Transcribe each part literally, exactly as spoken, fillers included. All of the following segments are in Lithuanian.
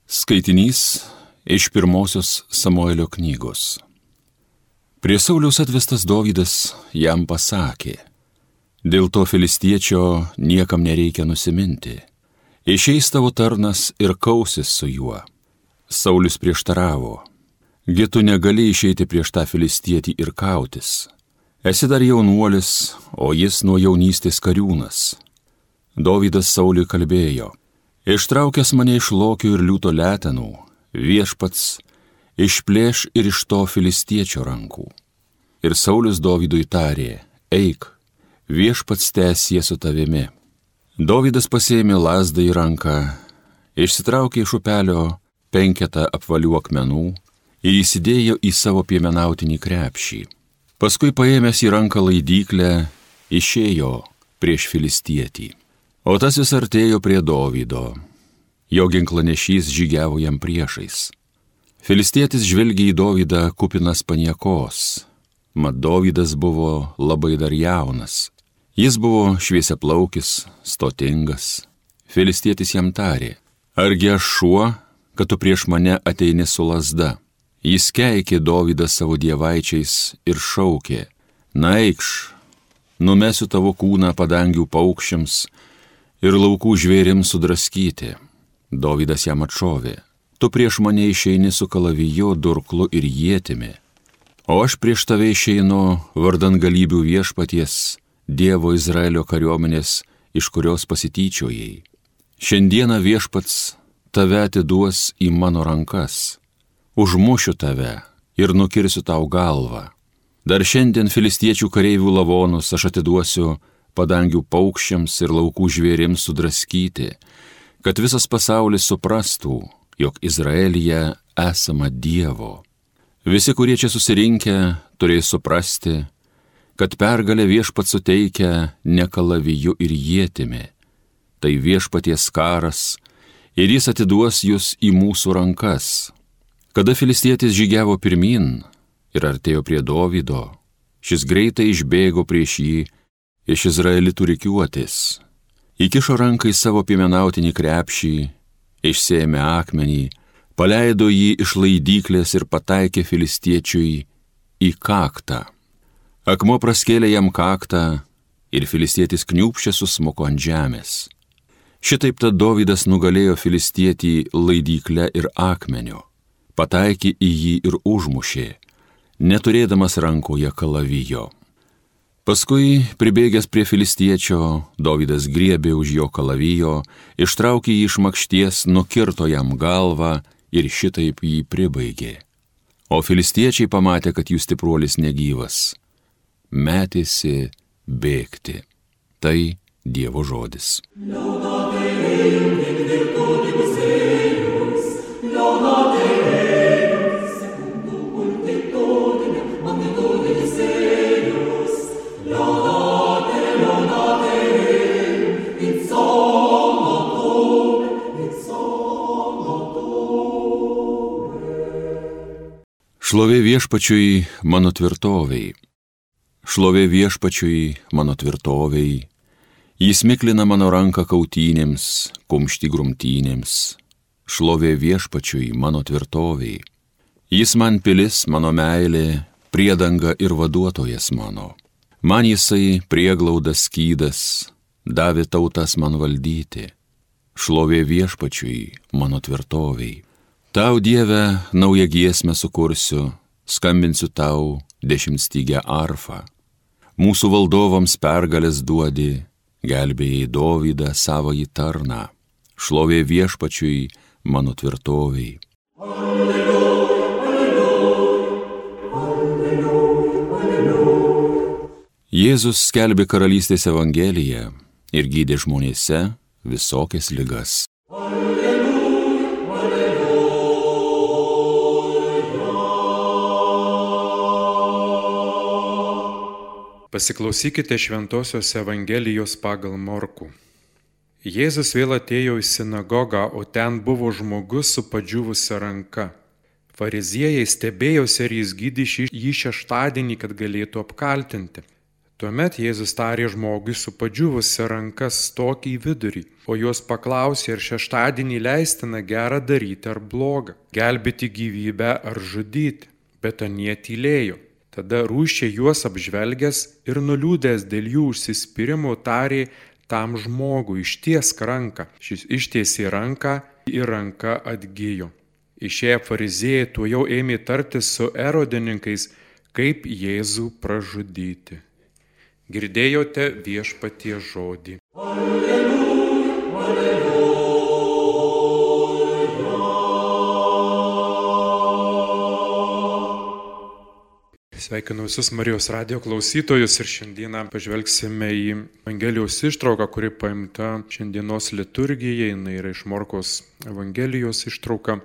Skaitinys iš pirmosios Samuelio knygos. Prie Sauliaus atvestas Dovydas jam pasakė: dėl to filistiečio niekam nereikia nusiminti. Išeis tavo tarnas ir kausis su juo. Saulius prieštaravo: gi tu negali išeiti prieš tą filistietį ir kautis. Esi dar jaunuolis, o jis nuo jaunystės kariūnas. Dovydas Sauliui kalbėjo: ištraukęs mane iš lokių ir liūto letenų, viešpats išplėš ir iš to filistiečio rankų. Ir Saulius Dovydui tarė: eik, viešpats tęsie su tavimi. Dovydas pasėmė lazdą į ranką, išsitraukė iš upelio penketą apvalių akmenų ir įsidėjo į savo piemenautinį krepšį. Paskui paėmęs į ranką laidyklę, išėjo prieš filistietį. O tas vis artėjo prie Dovydo. Jo ginklanešys žygiavo jam priešais. Filistietis žvelgė į Dovydą kupinas paniekos. Mat Dovydas buvo labai dar jaunas. Jis buvo šviesiaplaukis, stotingas. Filistietis jam tarė: argi aš šuo, kad tu prieš mane ateini su lazda? Jis keikė Dovydą savo dievaičiais ir šaukė: na eikš, numesiu tavo kūną padangių paukščiams ir laukų žvėrims sudraskyti. Dovydas jam atšovė: tu prieš mane išeini su kalaviju, durklu ir ietimi, o aš prieš tave išeinu vardan galybių viešpaties, Dievo Izraelio kariuomenės, iš kurios pasityčiojai. Šiandieną viešpats tave atiduos į mano rankas. Užmušiu tave ir nukirsiu tau galvą. Dar šiandien filistiečių kareivių lavonus aš atiduosiu padangių paukščiams ir laukų žvėrims sudraskyti, kad visas pasaulis suprastų, jog Izraelyje esama Dievo. Visi, kurie čia susirinkę, turės suprasti, kad pergalę viešpats suteikia ne kalaviju ir ietimi. Tai viešpaties karas ir jis atiduos jūs į mūsų rankas. Kada filistietis žygiavo pirmin ir artėjo prie Dovydo, šis greitai išbėgo prieš jį iš izraelitų rikiuotės. Įkišo ranką į savo piemenautinį krepšį, išsėmė akmenį, paleido jį iš laidyklės ir pataikė filistiečiui į kaktą. Akmuo praskėlė jam kaktą ir filistietis kniūbsčia susmuko ant žemės. Šitaip tad Dovydas nugalėjo filistietį laidykle ir akmeniu, pataikė į jį ir užmušė, neturėdamas rankoje kalavijo. Paskui, pribėgęs prie filistiečio, Dovydas griebė už jo kalavijo, ištraukė jį iš makšties, nukirto jam galvą ir šitaip jį pribaigė. O filistiečiai pamatė, kad jų stipruolis negyvas, metėsi bėgti. Tai Dievo žodis. Šlovė viešpačiui mano tvirtovei. Šlovė viešpačiui mano tvirtovei. Jis miklina mano ranką kautynėms, kumštį grumtynėms. Šlovė viešpačiui mano tvirtovei. Jis man pilis, mano meilė, priedanga ir vaduotojas mano. Man jisai prieglaudas skydas, davė tautas man valdyti. Šlovė viešpačiui mano tvirtovei. Tau, Dieve, naują giesmę sukursiu, skambinsiu tau dešimtstygę arfą. Mūsų valdovams pergalės duodi, gelbėjai Dovydą savąjį tarną. Šlovė viešpačiui mano tvirtovei. Alleluja, alleluja, alleluja, alleluja. Jėzus skelbė karalystės evangeliją ir gydė žmonėse visokias ligas. Pasiklausykite Šventosios Evangelijos pagal Morkų. Jėzus vėl atėjo į sinagogą, o ten buvo žmogus su padžiūvusia ranka. Fariziejai stebėjosi, ar jis gydys jį šeštadienį, kad galėtų apkaltinti. Tuomet Jėzus tarė žmogui su padžiūvusia ranka stok į vidurį, o jos paklausė, ar šeštadienį leistina gerą daryti ar blogą, gelbėti gyvybę ar žudyti, bet anie tylėjo. Tada rūsčiai juos apžvelgęs ir nuliūdęs dėl jų užsispyrimo tarė tam žmogui, ištiesk ranką. Šis ištiesė ranką ir ranka atgijo. Išėję fariziejai tuojau ėmė tartis su erodininkais, kaip Jėzų pražudyti. Girdėjote viešpaties žodį. Alleluja, alleluja. Sveikinu visus Marijos radijo klausytojus ir šiandieną pažvelgsime į Evangelijos ištrauką, kuri paimta šiandienos liturgijai, jinai yra iš Morkaus Evangelijos ištrauka,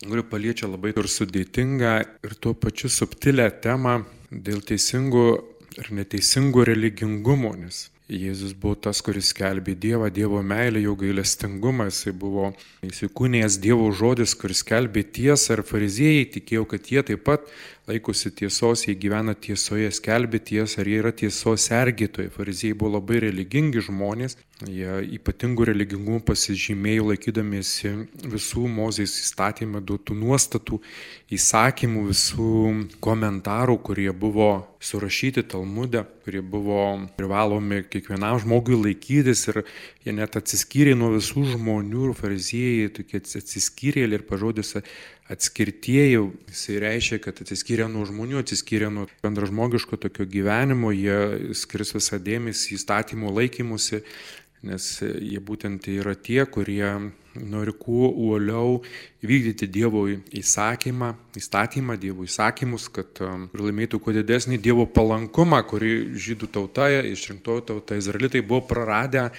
kuri paliečia labai ir sudėtingą ir tuo pačiu subtilę temą dėl teisingų ir neteisingų religingumo, nes Jėzus buvo tas, kuris skelbė Dievą, Dievo meilę, jo gailestingumą, jisai buvo įsikūnijęs Dievo žodis, kuris skelbė tiesą, ir fariziejai tikėjo, kad jie taip pat laikosi tiesos, jie gyvena tiesoje, skelbė tiesą, ir jie yra tiesos sergėtojai. Fariziejai buvo labai religingi žmonės, jie ypatingų religingumų pasižymėjo laikydamiesi visų Mozės įstatymę duotų nuostatų, įsakymų, visų komentarų, kurie buvo surašyti Talmude, kurie buvo privalomi kiekvienam žmogui laikytis, ir jie net atsiskyrė nuo visų žmonių, ir fariziejai tokie atsiskyrėliai, ir pažodis atskirtieji, jisai reiškia, kad atsiskyrė nuo žmonių, atsiskyrė nuo bendražmogiško tokio gyvenimo, jie skirs visą dėmesį įstatymų laikymusi, nes jie būtent yra tie, kurie nori kuo uoliau vykdyti Dievo įsakymą, įstatymą, Dievo įsakymus, kad laimėtų kuo didesnį Dievo palankumą, kurį žydų tauta, išrinktoji tauta, izraelitai buvo praradę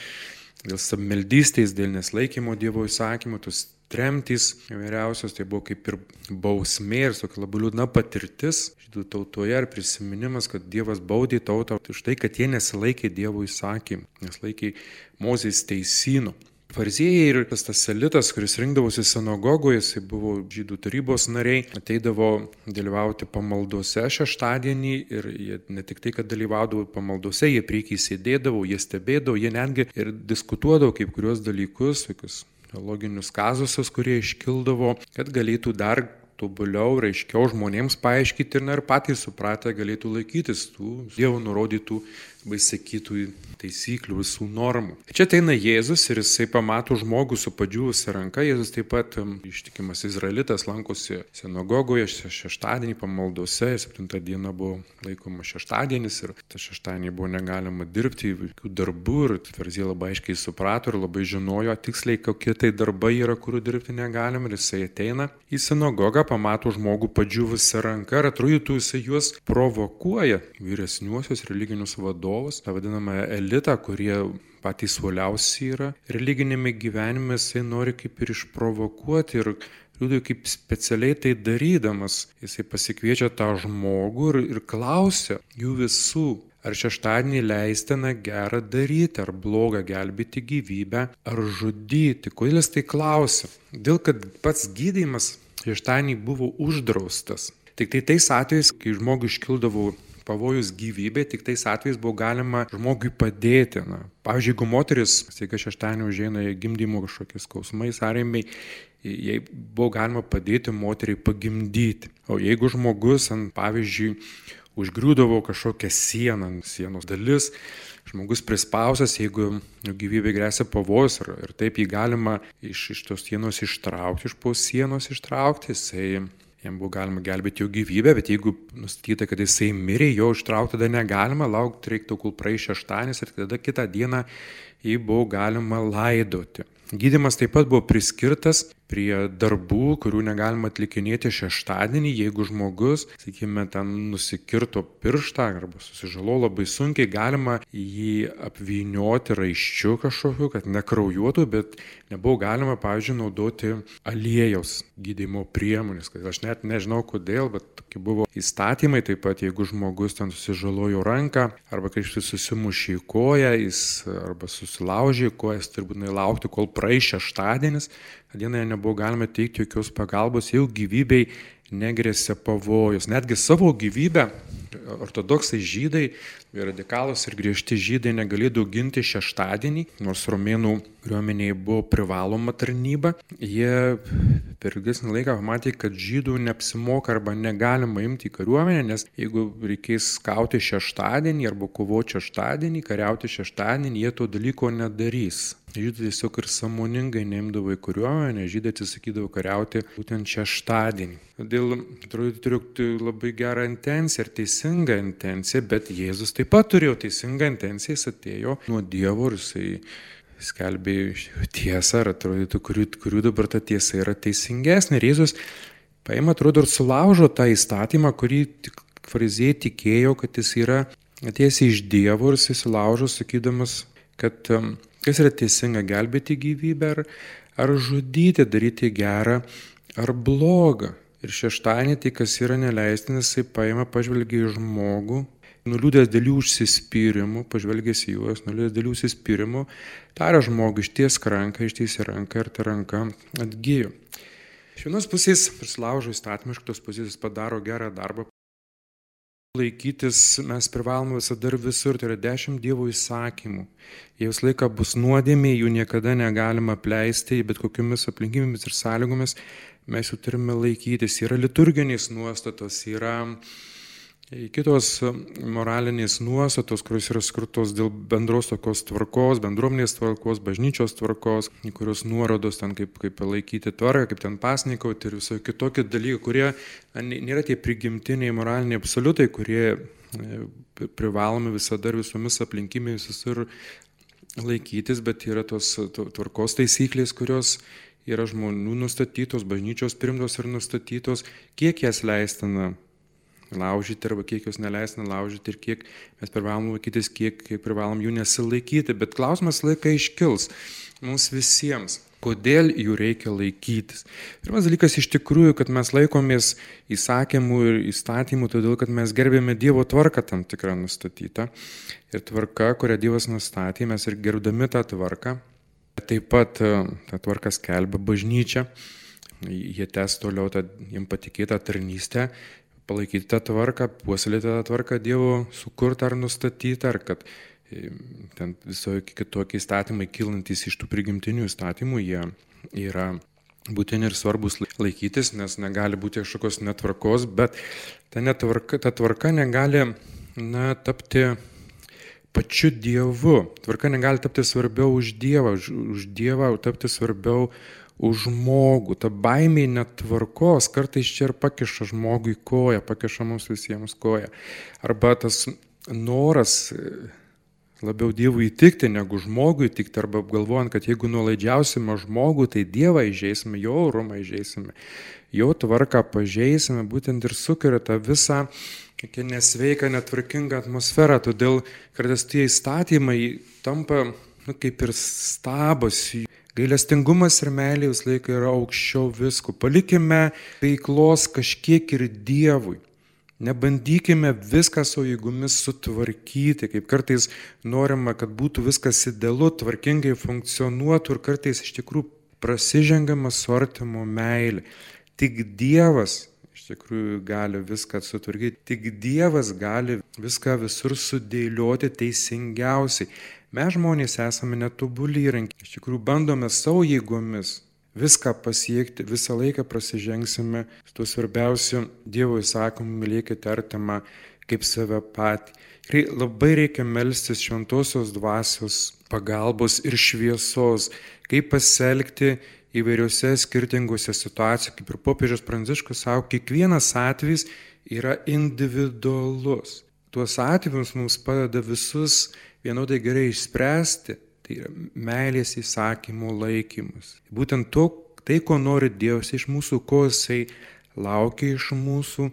dėl savmeldystės, dėl nesilaikymo Dievo įsakymų, tos tremtys įvairiausios, tai buvo kaip ir bausmė ir tokia labai liūdna patirtis žydų tautoje ir prisiminimas, kad Dievas baudė tautą už tai, kad jie nesilaikė Dievo įsakymų, nesilaikė Mozės teisynų. Fariziejai ir tas, tas elitas, kuris rinkdavosi sinagogoje, jisai buvo žydų tarybos nariai, ateidavo dalyvauti pamaldose šeštadienį, ir jie ne tik tai, kad dalyvaudavo pamaldose, jie priekyje sėdėdavo, jie stebėdavo, jie netgi ir diskutuodavo kaip kurios dalykus, tokius loginius kazusus, kurie iškildavo, kad galėtų dar tobuliau, raiškiau žmonėms paaiškinti, ir, na, ir patys supratę galėtų laikytis tų Dievo nurodytų bei sakytų taisyklių, visų normų. Čia ateina Jėzus ir jisai pamato žmogų su padžiūvusia ranka. Jėzus taip pat ištikimas izraelitas, lankosi sinagogoje šeštadienį pamaldose, septintą dieną buvo laikoma šeštadienis ir tą šeštadienį buvo negalima dirbti jokių darbų, ir fariziejai labai aiškiai suprato ir labai žinojo tiksliai, kokie tai darbai yra, kurių dirbti negalima, ir jisai ateina į sinagogą, pamato žmogų padžiūvusia ranka ir atrodytų jisai juos provokuoja, vyresniuosius religinius vadovus, tą vadinamą elitą, kurie patys uoliausi yra religinėme gyvenime, jisai nori kaip ir išprovokuoti, ir liūdai kaip specialiai tai darydamas, jisai pasikviečia tą žmogų ir, ir klausia jų visų, ar šeštadienį leistina gerą daryti, ar blogą gelbėti gyvybę, ar žudyti. Kodėl jis tai klausia? Dėl kad pats gydymas šeštadienį buvo uždraustas. Tik tai tais atvejais, kai žmogui iškildavo pavojus gyvybė, tik tais atvejais buvo galima žmogui padėti. Na, pavyzdžiui, jeigu moteris, staiga šeštadienį užeina gimdymo kažkokiais skausmais, sąrėmiai, jai buvo galima padėti moteriai pagimdyti. O jeigu žmogus, ant, pavyzdžiui, užgriūdavo kažkokią sieną, sienos dalis, žmogus prispausas, jeigu gyvybė gresia pavojus, ir, ir taip jį galima iš, iš tos sienos ištraukti, iš po sienos ištraukti, jisai jam buvo galima gelbėti jo gyvybę, bet jeigu nustatyta, kad jisai mirė, jo ištraukti tada negalima, laukti reiktų, kol praeis šeštadienis, ir tada kitą dieną jį buvo galima laidoti. Gydymas taip pat buvo priskirtas prie darbų, kurių negalima atlikinėti šeštadienį, jeigu žmogus, sakykime, ten nusikirto pirštą arba susižalo labai sunkiai, galima jį apvynioti raiščiu kažkokiu, kad nekraujuotų, bet nebuvo galima, pavyzdžiui, naudoti aliejaus gydymo priemonės. Aš net nežinau kodėl, bet tokie buvo įstatymai. Taip pat, jeigu žmogus ten susižalojo ranką arba kažkaip susimušė į koją, jis arba susilaužė į koją, jis turbūt laukti, kol praeis šeštadienis. Dieną nebuvo galima teikti jokios pagalbos, jau gyvybei negrėsė pavojus. Netgi savo gyvybę ortodoksai žydai, radikalūs ir griežti žydai negalėjo ginti šeštadienį, nors romėnų kariuomenėje buvo privaloma tarnyba. Jie per ilgesnį laiką pamatė, kad žydų neapsimoka arba negalima imti į kariuomenę, nes jeigu reikės kauti šeštadienį arba kovoti šeštadienį, kariauti šeštadienį, jie to dalyko nedarys. Žydai tiesiog ir sąmoningai neimdavo į kariuomenę, žydai atsisakydavo kariauti būtent šeštadienį. Todėl atrodo turiu labai gerą intenciją ir teisingą intenciją, bet Jėzus taip pat turėjo teisingą intenciją, jis atėjo nuo Dievo ir jisai skelbė tiesą, ir atrodytų, kurių, kurių dabar ta tiesa yra teisingesnė. Ir Jėzus paima, atrodo, ir sulaužo tą įstatymą, kurį fariziejai tikėjo, kad jis yra atėjęs iš Dievo, ir jis sulaužo, sakydamas, kad kas yra teisinga, gelbėti gyvybę ar, ar žudyti, daryti gerą ar blogą. Ir šeštadienį tai, kas yra neleistinas, jisai paima, pažvelgia į žmogų, nuliūdęs dėl jų užsispyrimų, pažvelgęs į juos, nuliūdęs dėl jų užsispyrimų, taria žmogų, ištiesk ranką, ištiesi ranką ir ta ranka atgijo. Iš vienos pusės prisilaužo įstatymą, iš kitos pusės jis padaro gerą darbą. Laikytis mes privalome visada ir visur, tai yra dešimt Dievo įsakymų. Jie visą laiką bus nuodėmė, jų niekada negalima apleisti, bet kokiomis aplinkybėmis ir sąlygomis mes jų turime laikytis. Yra liturginės nuostatos, yra kitos moralinės nuostatos, kurios yra skirtos dėl bendros tokios tvarkos, bendruomenės tvarkos, bažnyčios tvarkos, kurios nuorodos ten kaip, kaip laikyti tvarką, kaip ten pasnikauti ir visokie kitokie dalykai, kurie nėra tie prigimtiniai moraliniai absoliutai, kurie privalomi visada ir visomis aplinkybėmis visur laikytis, bet yra tos tvarkos taisyklės, kurios yra žmonių nustatytos, bažnyčios primtos ir nustatytos, kiek jas leistina laužyti arba kiek jos neleistina laužyti ir kiek mes privalom laikytis, kiek, kiek privalom jų nesilaikyti. Bet klausimas laiką iškils mums visiems, kodėl jų reikia laikytis. Pirmas dalykas iš tikrųjų, kad mes laikomės įsakymų ir įstatymų, todėl kad mes gerbėme Dievo tvarką tam tikrą nustatytą. Ir tvarka, kurią Dievas nustatė, mes ir gerbdami tą tvarką, taip pat tą tvarką skelbia bažnyčia, jie tęs toliau tą jiems patikėtą tarnystę, palaikyti tą tvarką, puoselėti tą tvarką Dievo sukurtą ar nustatytą, ar kad ten visokie kitokie įstatymai kilantys iš tų prigimtinių įstatymų, jie yra būtini ir svarbus laikytis, nes negali būti kažkokios netvarkos, bet ta, netvarka, ta tvarka negali na, tapti pačiu Dievu. Tvarka negali tapti svarbiau už Dievą, už, už Dievą tapti svarbiau už žmogų. Ta baimė netvarkos kartais čia ir pakiša žmogui koją, pakiša mums visiems koją. Arba tas noras labiau Dievui įtikti negu žmogui įtikti, arba galvojant, kad jeigu nuolaidžiausime žmogų, tai Dievą įžeisime, jo orumą įžeisime, jo tvarką pažeisime, būtent ir sukuria tą visą tokia nesveika, netvarkinga atmosfera. Todėl kartais tie įstatymai tampa nu, kaip ir stabas. Gailestingumas ir meilė vis laiką yra aukščiau visko. Palikime veiklos kažkiek ir Dievui. Nebandykime viską savo jėgomis sutvarkyti, kaip kartais norima, kad būtų viskas idealu, tvarkingai funkcionuotų ir kartais iš tikrųjų prasižengiama su artimo meilė. Tik Dievas iš tikrųjų gali viską sutvarkyti, tik Dievas gali viską visur sudėlioti teisingiausiai. Mes žmonės esame netobuli įrankiai, iš tikrųjų bandome savo jėgomis viską pasiekti, visą laiką prasižengsime su tuo svarbiausiu Dievo įsakymu, mylėkite artimą kaip save patį. Ir labai reikia melstis šventosios dvasios pagalbos ir šviesos, kaip pasielgti įvairiose skirtingose situacijose, kaip ir popiežius Pranciškus sako, kiekvienas atvejis yra individualus. Tuos atvejus mums padeda visus vienodai gerai išspręsti, tai yra meilės įsakymų laikymas. Būtent to, tai, ko nori Dievas iš mūsų, ko Jisai laukia iš mūsų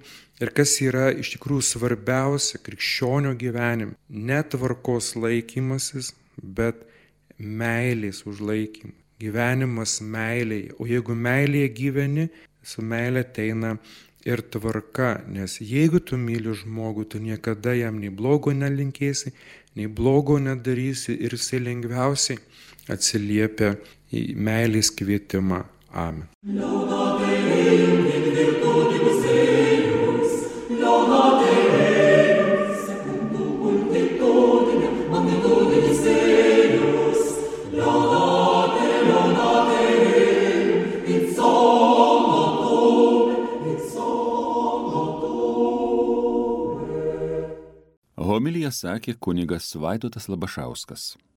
ir kas yra iš tikrųjų svarbiausia krikščionio gyvenime. Ne tvarkos laikymasis, bet meilės užlaikymas. Gyvenimas meilėje. O jeigu meilėje gyveni, su meilė ateina ir tvarka, nes jeigu tu myli žmogų, tu niekada jam nei blogo nelinkėsi, nei blogo nedarysi ir jisai lengviausiai atsiliepia į meilės kvietimą. Amen. Laudate in virtuti Deus, laudate Homiliją sakė kunigas Vaidotas Labašauskas.